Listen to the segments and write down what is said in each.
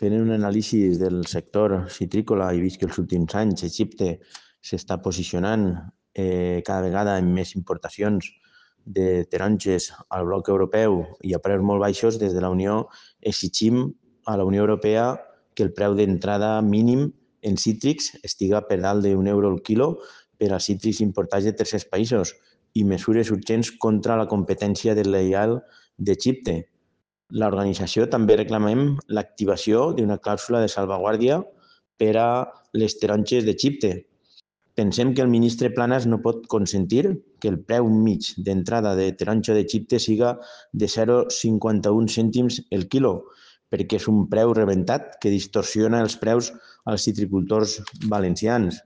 Fent un anàlisi del sector citrícola he vist que els últims anys Egipte s'està posicionant cada vegada amb més importacions de taronges al bloc europeu i a preus molt baixos. Des de la Unió exigim a la Unió Europea que el preu d'entrada mínim en cítrics estiga per dalt d'1 euro el quilo per als cítrics importats de tercers països i mesures urgents contra la competència deslleial d'Egipte. L'organització també reclamem l'activació d'una clàusula de salvaguàrdia per a les taronges d'Egipte. Pensem que el ministre Planas no pot consentir que el preu mig d'entrada de taronja d'Egipte siga de 0,51 cèntims el quilo, perquè és un preu rebentat que distorsiona els preus als citricultors valencians.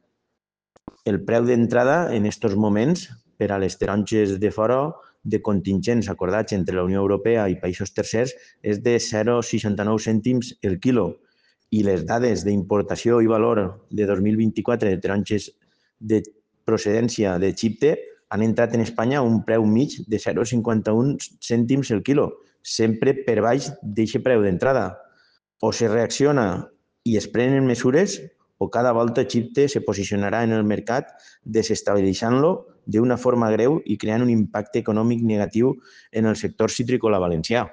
El preu d'entrada en aquests moments per a les taronges de fora de contingents acordats entre la Unió Europea i països tercers és de 0,69 cèntims el quilo i les dades d'importació i valor de 2024 de taronges de procedència d'Egipte han entrat en Espanya a un preu mig de 0,51 cèntims el quilo, sempre per baix d'aquest preu d'entrada. O se reacciona i es prenen mesures o cada volta Egipte se posicionarà en el mercat desestabilitzant-lo d'una forma greu i creant un impacte econòmic negatiu en el sector citrícola valencià.